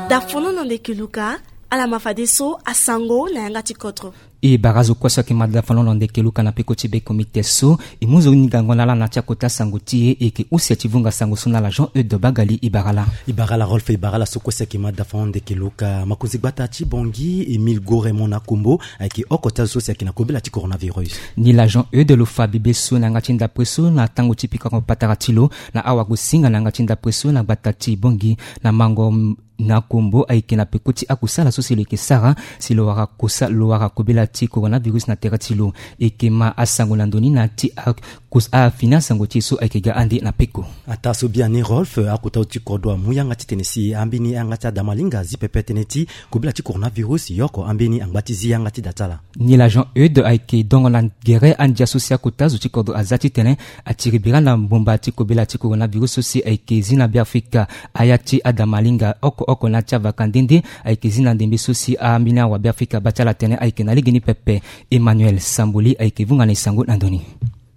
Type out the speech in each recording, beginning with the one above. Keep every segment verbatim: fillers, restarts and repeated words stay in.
Dafono na ndeke luka. Ala ma fadeso asango na yanga ti kodro. E bara azo kue so ayeke ma dafono na ndeke luka na peko ti be komite so. E mu zo ni gango na ala na ti akota sango ti e, e yeke use ti vunga sango so na ala Jean Eude Bagali. E bara ala. E bara ala Rolf, e bara ala so kue so ayeke ma dafono ndeke luka. Makonzi gbata ti Bangui Émile Goremon Akombo ayeke oko ti azo so si ayeke na kobela ti coronavirus. Ni la Jean Eude lo fa bibe so na yanga ti ndapre so na tango ti pikango patara ti lo na awagosinga na yanga ti ndapre so na gbata ti Bangui. Na mango na Kombo ayeke na peko ti akusala so si lo yeke sara si lo wara kosa, lo wara kobela ti coronavirus na tere ti lo. E yeke ma asango na ndo ni na ti a- kus- afini asango ti e so ayeke ga ande na peko. Ataa so biani Rolf, akota zo ti kodro amu yanga titene si ambeni ayanga ti adamalinga azi pepe tënë ti kobela ti coronavirus, yoko ambeni angba ti zi yanga ti da ti ala. Ni la Jean Eude ayeke dongo na gere andia so si akota zo ti kodro aza titene atiri bira na mbomba ti kobela ti coronavirus so si ayeke zi na Beafrika. Aya ti adamalinga oko oko na ya ti avaka nde nde ayeke zi na ndembe so si ambeni awa Beafrika abaa ti ala tene ayeke na legeni pepe. Emmanuel Samboli ayeke vunga na e sango na ndo ni.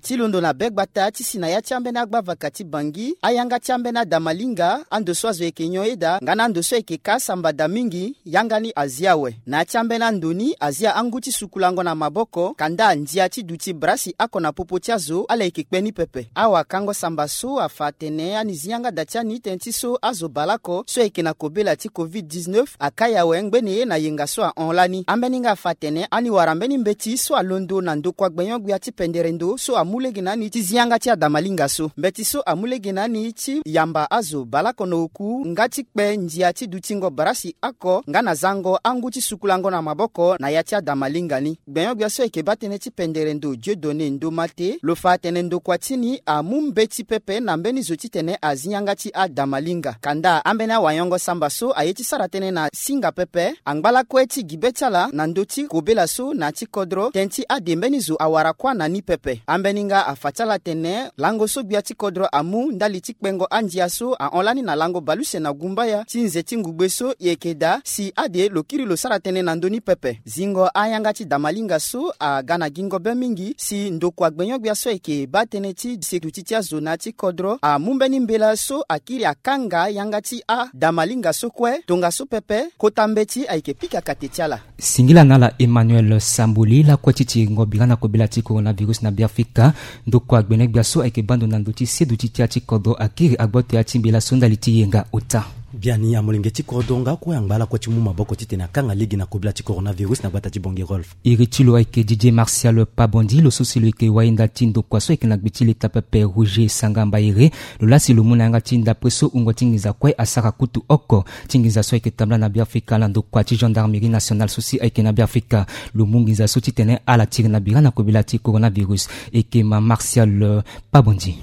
Ti londo na be gbata ti si na ya ti ambeni agbavaka ti Bangui, ayanga ti ambeni adamalinga, ando so azo yeke nyon ye daa nga na ando so ayeke ka samba daa mingi, yanga ni azi awe. Na ya ti ambeni ando ni, azi angu ti sukulango na maboko, kanda ndia ti duti brasi oko na popo ti azo, ala yeke kpe ni pepe. Awakango samba so afa atene ani zi yanga da ti ani tënë ti so azo baleoko so ayeke na kobela ti covid dix-neuf akai awe ngbene ye na yenga so ahon lani. Ambeni nga afa atene ani wara mbeni mbeti so alondo na ndokua gbenyo-gbia ti pendere ndo so amu lege na ani ti zi yanga ti adamalinga so. Mbeti so amu lege na ani ti yamba azo baleoko na oku nga ti kpe ndia ti dutingo brasi oko nga na zango angu ti sukulango na maboko na ya ti adamalinga ni. Gbenyo-gbia so ayeke baa tënë ti pendere ndo Dieudonné Ndomate lo fa atene ndokua ti ni amu mbeti pepe na mbeni zo titene azi yanga ti adamalinga. Kanda ambeni awayongo samba so aye ti sara tënë na singa pepe angba lakue ti gi be ti ala na ndö ti kobela so na ya ti kodro tënë ti ade mbeni zo awara kuâ na ni pepe. Ambeni nga afa ti ala atene lango so gbia ti kodro amu ndali ti kpengo andia so ahon lani na lango baleuse na gumbaya ti nze ti ngugbe so e yeke daa si ade lo kiri lo sara tënë na ndö ni pepe. Zingo ayanga ti damalinga so aga na gingo be mingi si ndokua gbenyo-gbia so ayeke baa tënë ti sekuti ti azo na ya ti kodro amu mbeni mbela so akiri akanga yanga ti adamalinga so kue. Tongaso pepe kota mbeti ayeke pika kate ti ala. Singila na ala Emmanuel Samboli lakue ti tiringo bira na kobela ti coronavirus na Beafrika. Ndokua gbenyo-gbia so ayeke baa ndo na ndö ti seduti ti ya ti kodro akiri agboto ya ti mbela so ndali ti yenga ota. Biani amolenge ti kodro nga kue angba lakue ti mu maboko titene akanga lege na kobela ti coronavirus na gbata ti Bangui Rolf. Iri ti lo ayeke Didier Martial Pabondi, lo so si lo yeke wayenda ti ndokua so ayeke na gbe ti leta pepe Roger Sanga Mbaere. Lo laa si lo mu na yanga ti ndapre so wungo ti nginza kue asara kutu oko ti nginza so ayeke tambula na Beafrika na ndokua ti gendarmerie nationale so si ayeke na Beafrika. Lo mu nginza so titene ala tiri na bira na kobela ti coronavirus. E yeke ma Martial Pabondi.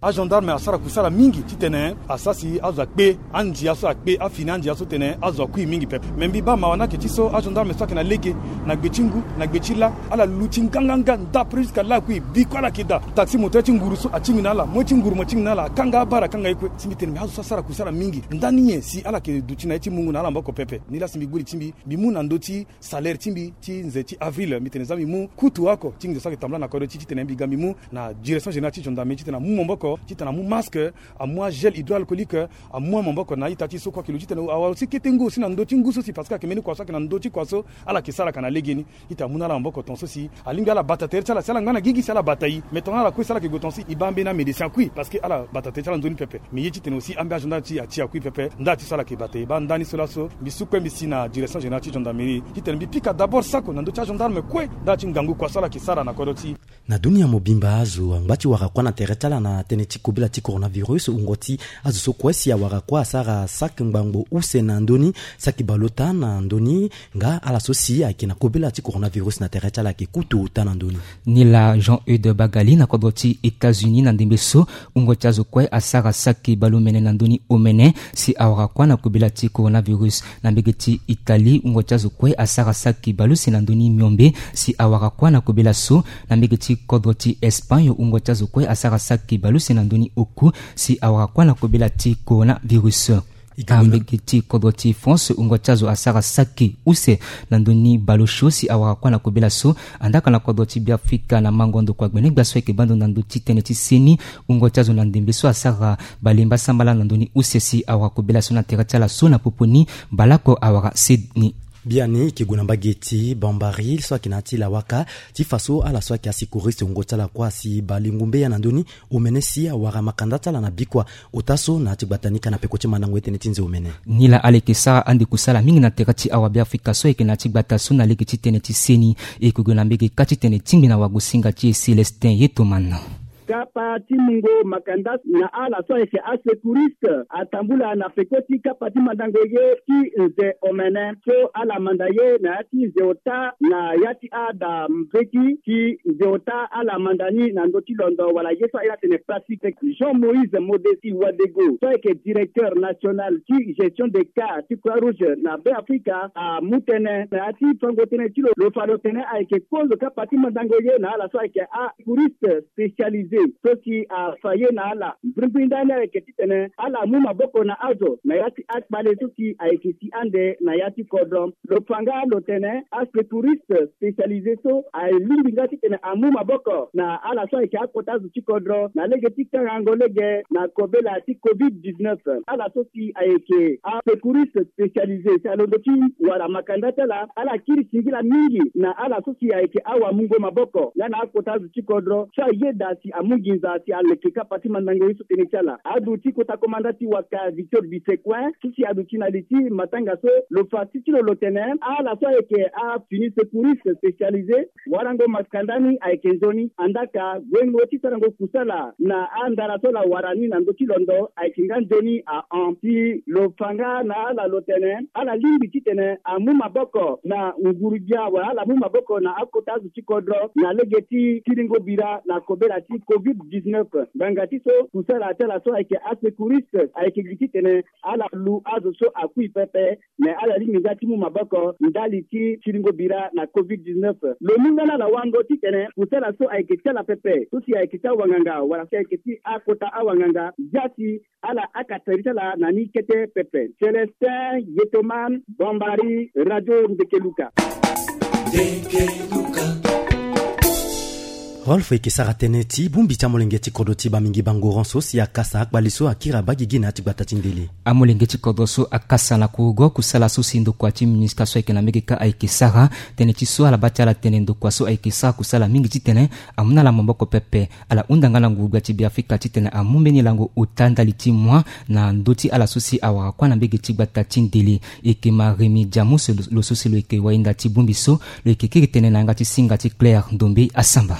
Agendarme asara kusala mingi titene asara si azo akpe andia so, akpe afini andia so titene azo akui mingi pepe. Me mbi baa mawa ni ayeke ti so agendarme so ayeke na lege, na gbe ti ngu, na gbe ti lâ, ala luti nganganga ndapre jusqu'à lâ akui. Bi kue ala yeke daa. Taxi moto ti nguru so atingbi na ala, moi ti nguru mo atingbi na ala, akanga abara, akanga ye kue. Si mbi tene me azo so asara kusala mingi ndani nyen si ala yeke duti na ye ti mungu na ala maboko pepe? Ni laa si mbi gbu li ti mbi, mbi mu na ndö ti salaire ti mbi ti nze ti avril, mbi tene za mbi mu kutu oko ti nginza so ayeke tambula na kodro ti, titene mbi ga mbi mu na direction générale ti gendarmerie titene amu maboko, titene amu masque, amu agel hydroalcoolique, amu amaboko na a-ita ti so kue ayeke lo titene awara aussi kete ngu aussi na ndö ti ngu so si, parce que ayeke mbeni kua so ayeke na ndö ti kua so ala yeke saraka na legeni. Titene amu na ala maboko tongaso si alingbi ala bata tere ti ala, si ala ngba na gigi si ala bata e. Mais tongana ala kue si ala yeke gue tongaso si e baa mbeni amédecin akui, parce que ala bata tere ti ala nzoni pepe. Mais ye titene aussi ambeni agendarme ti e ati akui pepe. Nda ti so ala yeke bata e baa ndani so laso mbi su kue mbi si na direction générale ti gendarmerie titene mbi pika d'abord sako na ndö ti agendarme kue nda ti ngangu kua so ala yeke sara na kodro ti e. Na dunia mobimba azo angba ti wara kuâ na tere ti ala na tënë ti kobela ti coronavirus. Wungo ti azo so kue si awara kuâ asara saki ngbangbo use na ndö ni, saki baleota na ndö ni, nga ala so si ayeke na kobela ti coronavirus na tere ti ala ayeke kutu ota na ndö ni. Ni laa Jean Eude Bagali na kodro ti États-Unis na ndembe so wungo ti azo kue asara saki baleomene na ndö ni omene si awara kuâ na kobela ti coronavirus. Na mbege ti Italie wungo ti azo kue asara saki baleuse na ndö ni miombe si awara kuâ na kobela so. Na mbege ti kodro ti Espagne wungo ti azo kue asara saki baleuse na ndö ni oku si awara kuâ na kobela ti coronavirus. Ambege ti kodro ti France, wungo ti azo asara saki use na ndö ni baleosio si awara kuâ na kobela so. Andaa ka na kodro ti Beafrika na mango ndokua gbenegbia so ayeke baa ndo na ndö ti tënë ti seni, wungo ti azo na ndembe so asara balemba sambala na ndö ni use si awara kobela so na tere ti ala so na popo ni baleoko awara seni. Biani e ke gue na mbage ti Bambari so ayeke na ya ti Lawaka, ti fa so ala so ayeke asecouriste wungo ti ala kuâ asi bale ngumbeya na ndö ni omene si awara makanda ti ala na bikua ota so na ya ti gbata ni ka na peko ti mandango ye tënë ti nze omene. Nilaa ala yeke sara ande kusala mingi na tere ti awabeafrika so ayeke na ya ti gbata so na lege ti tënë ti seni. E yeke gue na mbege kâ ti tene tingbi na wagosinga ti e Célestin Yetoman. Kapa ti mungo makanda na ala so ayeke asecouriste atambula na peko ti kapa ti mandango ye ti nze omene so ala manda ye na ya ti nze ota na ya ti ada mbeti ti nze ota ala manda ni na ndö ti londo wala ye so aye atene plastique. Jean Moïse Modesti Wadego so ayeke directeur national ti gestion des cas ti Croix Rouge na Beafrika amu tënë na ya ti fango tënë ti lo lo fa lo tene ayeke kozo kapa ti mandango ye na ala so ayeke asecouriste spécialisé so si afa ye na ala. Mbrimbri ndani ayeke titene ala mu maboko na azo na ya ti akpale so si ayeke si ande na ya ti kodro. Lo fa nga lo tene asecouriste spécialisé so alingbi nga titene amu maboko na ala so ayeke akota zo ti kodro na lege ti kangango lege na kobela ti covid dix-neuf. Ala so si ayeke asecouriste spécialisé si alondo ti wara makanda ti ala, ala kiri singila mingi na ala so si ayeke awamungo maboko nga na akota zo ti kodro so ayeda si amu nginza si aleke kapa ti mandango ye so tënë ti ala. Aduti kota komanda ti waka Victor Bisecoin so si aduti na li ti matanga so lo fa ti ti lo lo tene ala so ayeke afini secouriste spécialisé warango makanda ni ayeke nzoni. Andaa ka guengo ti sarango kusala na andara so ala wara ni na ndö ti londo ayeke nga nzoni ahon. Si lo fa nga na ala lo tene ala lingbi titene amu maboko na nguru-gbia wala ala mu maboko na akota azo ti kodro na lege ti kiringo bira na kobela ti covid dix-neuf. Ngbanga ti so kusala ti ala so ayeke asecouriste ayeke gi titene ala lu azo so akui pepe. Me ala lingbi nga ti mu maboko ndali ti siringo bira na covid dix-neuf. Lo mu nga na ala wango titene kusala so ayeke ti ala pepe so si ayeke ti awanganga wala si ayeke ti akota awanganga zia si ala akatari ti ala na ni kete pepe. Célestin Yetoman, Bambari, Radio Ndekeluka. Rolf, e yeke sara tënë ti bongbi ti amolenge ti kodro ti Bamingi Bangoran so si akasa akpali so akiri abaa gigi na ya ti gbata ti ndele. Amolenge ti kodro so akasa na kurugo kusala so si ndokua ti MINUSCA so ayeke na mbege kâ ayeke sara. Tënë ti so ala baa ti ala tene ndokua so ayeke sara kusala mingi titene amu na ala maboko pepe. Ala hunda nga na nguru-gbia ti Beafrika titene amu mbeni lango ota ndali ti moi na ndö ti ala so si awara kuâ na mbege ti gbata ti ndele. E yeke Maremi Diamus lo so si lo yeke wahinda ti bongbi so. Lo yeke kiri tënë na yanga ti singa ti Claire Ndombe Asamba.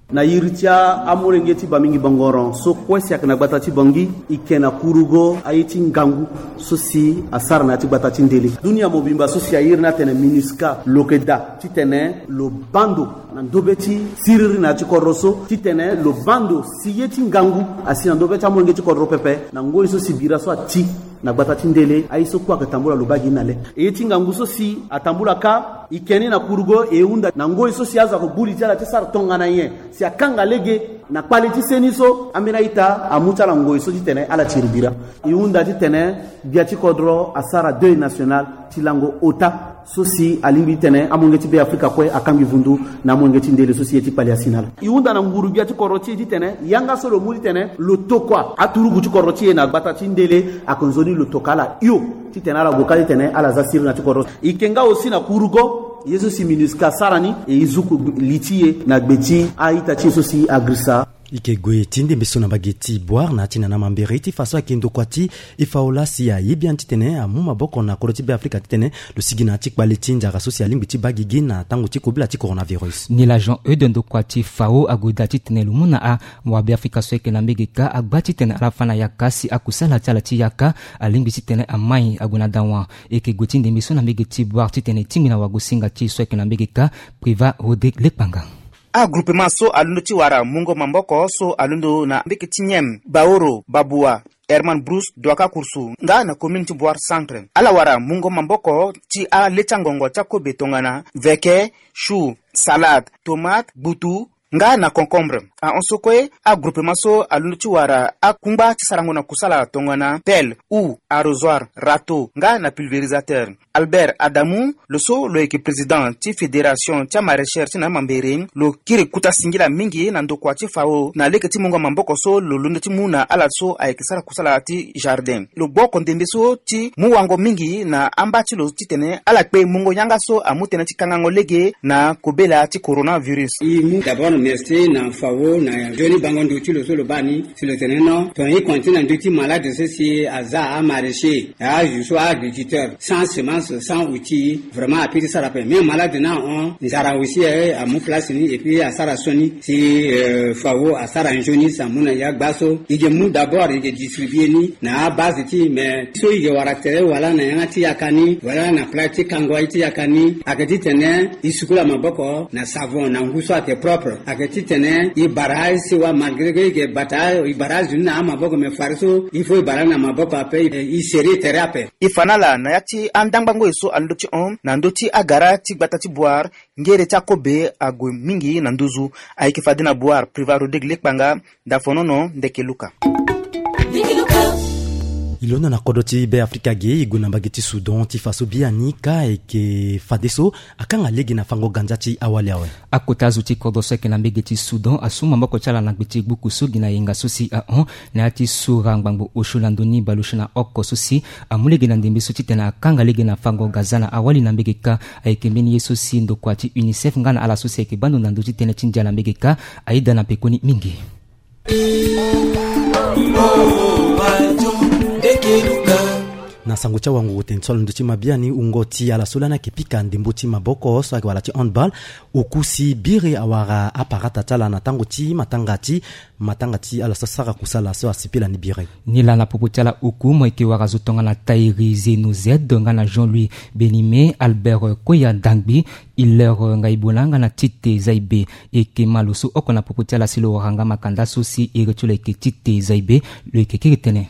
Na iri ti amolenge ti Bamingi Bangoran so kue si ayeke na gbata ti Bangui, e yeke na kurugo aye ti ngangu so si asara na ya ti gbata ti ndele. Dunia mobimba so si airi ni atene MINUSCA lo yeke daa titene lo baa ndo na ndobe ti siriri na ya ti kodro so titene lo baa ndo si ye ti ngangu asi na ndobe ti amolenge ti kodro pepe na ngoi so si bira so ati na gbata ti ndele. Aye so kue ayeke tambula lo baa gi ni na le. E ye ti ngangu so si atambula kâ, e yeke ni na kurugo e hunda na ngoi so si azo ayeke gbu li ti ala ti sara tongana nyen si akanga lege na kpale ti seni so ambeni a-ita amu ti ala ngoi so titene ala tiri bira. E hunda titene gbia ti kodro asara deuil national ti lango ota so si alingbi titene amolenge ti Beafrika kue akangbi vundu na amolenge ti ndele so si ye ti kpali asi na ala. E hunda na nguru-gbia ti kodro ti e titene yanga so lo mu titene lo tokua aturugu ti kodro ti e na gbata ti ndele, ayeke nzoni lo toka ala hio titene ala gue kâ titene ala za siriri na ti kodro. E yeke nga aussi na kurugo ye so si MINUSCA asara ni, e zuku li ti e na gbe ti a-ita ti e so si agirisa. E yeke gue ti ndembe so na mbage ti Boire na ya ti nana mambere ti fa so ayeke ndokua ti e Faola si aye biani titene amu maboko na kodro ti Beafrika titene lo sigi na ya ti kpale ti nzara so si alingbi ti baa gigi na tango ti kobela ti coronavirus. Nilaa Jean Eude ndokua ti Fao ague daa titene lo mu na awabeafrika so ayeke na mbege kâ agba titene ala fâ na yaka si akusala ti ala ti yaka alingbi titene amai ague na dawa. E yeke gue ti ndembe so na mbege ti Boire titene e tingbi na wagosinga ti e so ayeke na mbege kâ Privat Rodrigue Lekpanga. Agroupement so alondo ti wara mungo maboko so alondo na mbeke ti Niem, Baoro, Babua, Herman Bruce, Douaka Kouroussou nga na commune ti Boire Centre. Ala wara mungo maboko ti ale ti angongo ti akobe tongana veke, chou, salade, tomate, gbutu, nga na concombre. Ahon so kue agroupement so alondo ti wara akungba ti sarango na kusala tongana pelle, houe, arrosoir, râteau nga na pulvérisateur. Albert Adamu, lo so lo yeke président ti fédération ti amaraîcheur ti na amambere, lo kiri kuta singila mingi na ndokua ti FAO na lege ti mungo maboko so lo londo ti mu na ala so ayeke sara kusala ti jardin. Lo gbu oko ndembe so ti mu wango mingi na amba ti lo titene ala kpe mungo yanga so amu tënë ti kangango lege na kobela ti coronavirus. E mu d'abord merci na FAO na nzoni bango ndo ti lo so lo baa ni, si lo tene non tongana e continué na ndö ti malade so si aza amaraîchers, azo so aagriculteur sans semence, sans outil, vraiment ape ti sara ape. Mais malade ni ahon, nzara aussi, eh, amu place ni et puis asara so ni si, euh, FAO asara nzoni si amu na e agba so. E ke mu d'abord e ke distribué ni na abase ti e, mais so e ke wara tere wala na yanga ti yaka ni wala na place ti kango aye ti yaka ni, ayeke titene e sukula maboko na savon na ngu so ayeke propre. Ayeke titene e bara aye sewa, malgré que e ke bata e bara azo ni na amaboko, mais fade so il faut e bara na maboko ape, e serré tere ape. E fa na ala na ya ti andangbangoi so alondo ti hon na ndö ti agara ti gbata ti Bouar, ngere ti akobe ague mingi na nduzu. Ayeke fade na Bouar, Privat Rodrigue Lekpanga, Dafonono Ndeke Luka. E londo na kodro ti Be Afrika ge, e gue na mbage ti Soudan ti fa so biani ka ayeke fadeso akanga lege na fango ganza ti awali awe. Akota azo ti kodro so ayeke na mbage ti Soudan asu maboko ti ala na gbe ti gbuku so gi na yenga so si ahon na ya ti sura ngbangbo osio na ndoni bale osio na oko so si amu lege na ndembe so titene akanga lege na fango ganza na awali na mbage ka. Ayeke mbeni ye so si ndokua ti UNICEF nga na ala so si ayeke baa ndo na ndö ti tënë ti ndia na mbage ka ayeda na pekoni mingi. Na sango ti awanguru tene so alondo ti ma biani, wungo ti ala so lani ayeke pika ndembo ti maboko so ayeke wala ti handball, oku si biri awara aparata ti ala na tango ti matanga ti matanga ti ala so asara kusala so asipila ni biri. Nilaa na popo ti ala oku mo yeke wara zo tongana Taïri Zeno Z nga na Jean-Louis Benime, Albert Koya Dangbi, Hilaire Ngaibona nga na Tite Zaibe. E yeke ma lo so oko na popo ti ala si lo wara nga makanda so si iri ti lo ayeke Tite Zaibe. Lo yeke kiri tene.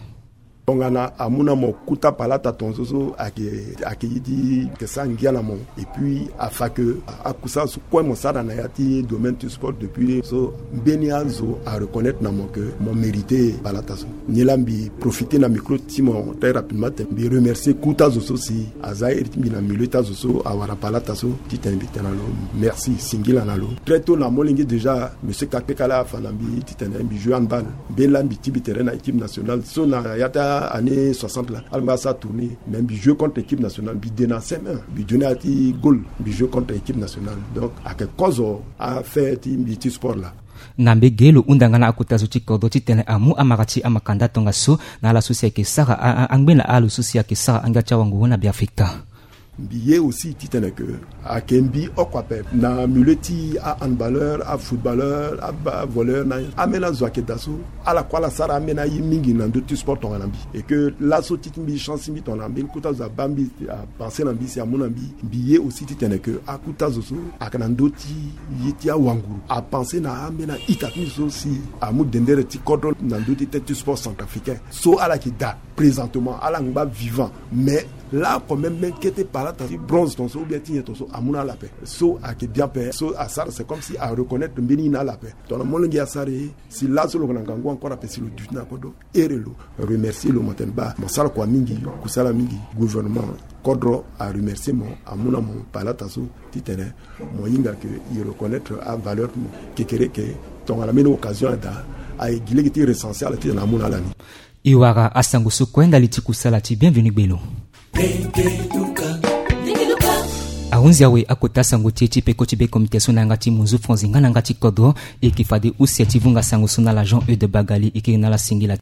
Tongana amu na mo kuta palata tongaso so ayeke, ayeke ye ti yeke sara ngia na mo. Et puis afa ke akusala so kue mo sara na ya ti domaine ti sport depuis so, mbeni azo areconnaître na mo ke mo mérité palata so. Nilaa mbi profité na micro ti mo très rapidement tene mbi remercier kuta azo so si aza iri ti mbi na milieu ti azo so awara palata so, titene mbi tene na lo merci, singila na lo. Très tôt na molenge déjà monsieur Kakpekala afa na mbi titene mbi joue handball. Mbeni laa mbi ti mbi tere na équipe nationale so na ya ti année soixante laa ala mbi asara tournée, mais mbi joue contre équipe nationale, mbi de na C M un, mbi de na ya ti goal, mbi joue contre équipe nationale. Donc ayeke kozo affaire ti mbi ti sport laa. Na mbage lo hunda nga na akota zo ti kodro titene amu amara ti amakanda tongaso na ala so si ayeke sara a, a, angbe na ala so si ayeke sara angia ti awanguru na Beafrika. Mbi ye aussi titene ke ayeke mbi oko ape na milieu ti ahandballeur, afootballeur, aba voleur na ambeni azo ayeke daa so, ala kue ala sara ambeni aye mingi na ndö ti sport tongana mbi. Et que laso ti ti mbi chance ti mbi tongana mbeni kuta azo abaa mbi, apense na mbi si amu na mbi. Mbi ye aussi titene ke akuta azo so ayeke na ndö ti ye ti awanguru apense na ambeni a-ita ti mbi so si amu dendere ti kodro na ndö ti tête ti sport centrafricain. So ala yeke daa présentement ala ngba vivant, mais laoko même mbeni kete palata ti bronze tongaso ou bien ti nyen tongaso amu na ala ape. So ayeke bien ape, so asara c'est comme si areconnaître mbeni ye na ala ape. Tongana molenge asara e, si laso lo yeke na ngangu encore ape si lo duti na kodro. Ere lo remercier lo, mo tene baa mo sara kua mingi, kusala mingi. Gouvernement kodro aremercier mo, amu na mo palata so titene mo hinga ke e reconnaître avaleur ti mo. Kekereke tongana mbeni occasion adaa, aye gi lege ti recenser ala titene amu na ala ni. E wara asango so kue ndali ti kusala ti Bienvenu Gbelo. Ahunzi awe akota sango ti e ti peko ti be communication na yanga ti munzu franzi nga na yanga ti kodro. E yeke fade use ti vunga sango so na ala Jean Eude Bagali, e yeke na ala singila.